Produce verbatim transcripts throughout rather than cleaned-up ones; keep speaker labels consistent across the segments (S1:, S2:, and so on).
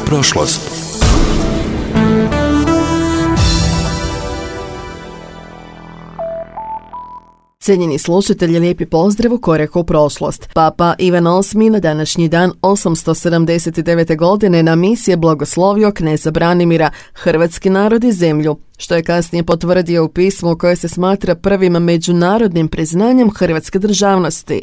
S1: prošlost.
S2: Cijenjeni slušatelji, lijepi pozdrav u koraku u prošlost. Papa Ivan osmi na današnji dan osamsto sedamdeset devete. godine na misi je blagoslovio kneza Branimira, hrvatski narod i zemlju, što je kasnije potvrdio u pismu koje se smatra prvim međunarodnim priznanjem hrvatske državnosti.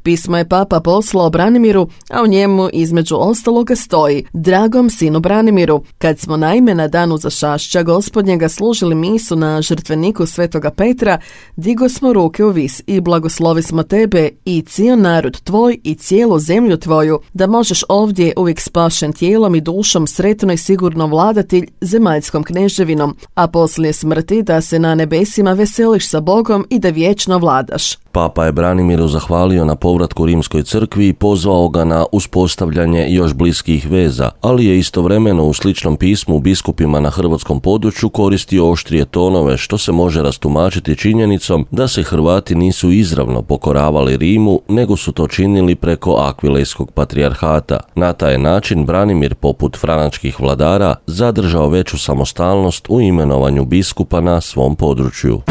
S2: Pismo je papa poslao Branimiru, a u njemu između ostaloga stoji: dragom sinu Branimiru, kad smo naime na danu zašašća Gospodnjega služili misu na žrtveniku svetoga Petra, digo smo ruke u vis i blagoslovi smo tebe i cijel narod tvoj i cijelu zemlju tvoju, da možeš ovdje uvijek spašen tijelom i dušom sretno i sigurno vladati zemaljskom kneževinom, a poslije smrti da se na nebesima veseliš sa Bogom i da vječno vladaš.
S3: Papa je Branimiru zahvalio na povratku Rimskoj crkvi i pozvao ga na uspostavljanje još bliskih veza, ali je istovremeno u sličnom pismu biskupima na hrvatskom području koristio oštrije tonove, što se može rastumačiti činjenicom da se Hrvati nisu izravno pokoravali Rimu, nego su to činili preko Akvilejskog patrijarhata. Na taj način Branimir, poput franačkih vladara, zadržao veću samostalnost u imenovanju biskupa na svom području.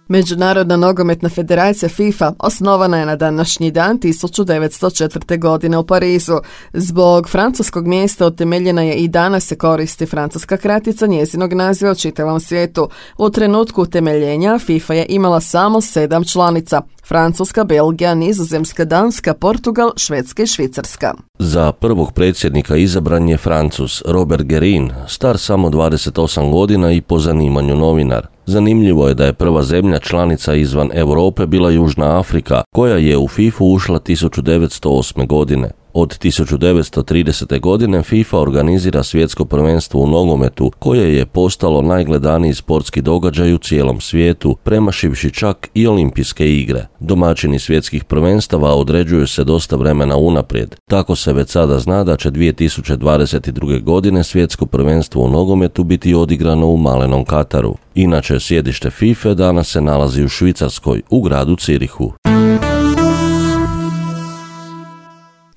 S2: Međunarodna nogometna federacija FIFA osnovana je na današnji dan tisuću devetsto četvrte. godine u Parizu. Zbog francuskog mjesta utemeljena je i danas se koristi francuska kratica njezinog naziva u čitavom svijetu. U trenutku utemeljenja FIFA je imala samo sedam članica: Francuska, Belgija, Nizozemska, Danska, Portugal, Švedska i Švicarska.
S3: Za prvog predsjednika izabran je Francuz Robert Guerin, star samo dvadeset osam godina i po zanimanju novinar. Zanimljivo je da je prva zemlja članica izvan Europe bila Južna Afrika, koja je u FIFA ušla tisuću devetsto osme. godine. Od tisuću devetsto tridesete. godine FIFA organizira svjetsko prvenstvo u nogometu, koje je postalo najgledaniji sportski događaj u cijelom svijetu, premašivši čak i olimpijske igre. Domaćini svjetskih prvenstava određuju se dosta vremena unaprijed. Tako se već sada zna da će dvije tisuće dvadeset druge. godine svjetsko prvenstvo u nogometu biti odigrano u malenom Kataru. Inače, sjedište FIFA danas se nalazi u Švicarskoj, u gradu Cirihu.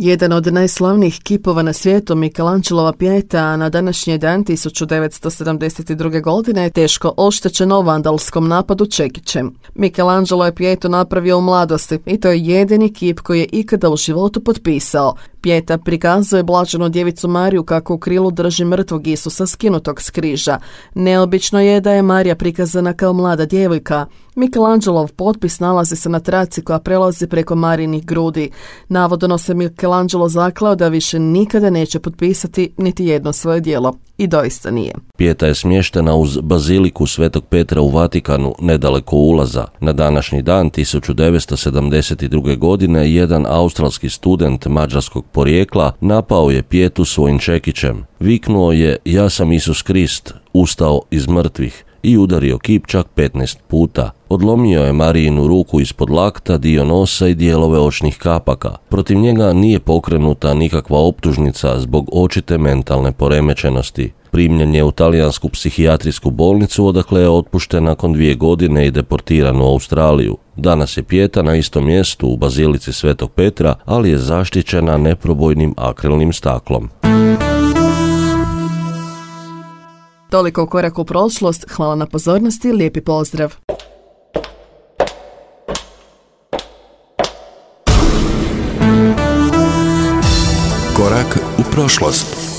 S2: Jedan od najslavnijih kipova na svijetu, Michelangelova Pieta, na današnji dan tisuću devetsto sedamdeset druge. godine je teško oštećeno u vandalskom napadu čekićem. Michelangelo je Pietu napravio u mladosti i to je jedini kip koji je ikada u životu potpisao. Pieta prikazuje blaženu djevicu Mariju kako u krilu drži mrtvog Isusa skinutog s križa. Neobično je da je Marija prikazana kao mlada djevojka. Michelangelov potpis nalazi se na traci koja prelazi preko Marijinih grudi. Navodno se Michelangelo zakleo da više nikada neće potpisati niti jedno svoje djelo. I doista nije.
S3: Pieta je smještena uz baziliku Svetog Petra u Vatikanu, nedaleko ulaza. Na današnji dan tisuću devetsto sedamdeset druge. godine jedan australski student mađarskog porijekla napao je Pietu svojim čekićem. Viknuo je: ja sam Isus Krist, ustao iz mrtvih, i udario kip čak petnaest puta. Odlomio je Marijinu ruku ispod lakta, dio nosa i dijelove očnih kapaka. Protiv njega nije pokrenuta nikakva optužnica zbog očite mentalne poremećenosti. Primljen je u talijansku psihijatrijsku bolnicu, odakle je otpušten nakon dvije godine i deportiran u Australiju. Danas je Pieta na istom mjestu u bazilici Svetog Petra, ali je zaštićena neprobojnim akrilnim staklom.
S2: Toliko u koraku u prošlost. Hvala na pozornosti i lijepi pozdrav.
S1: Korak u prošlost.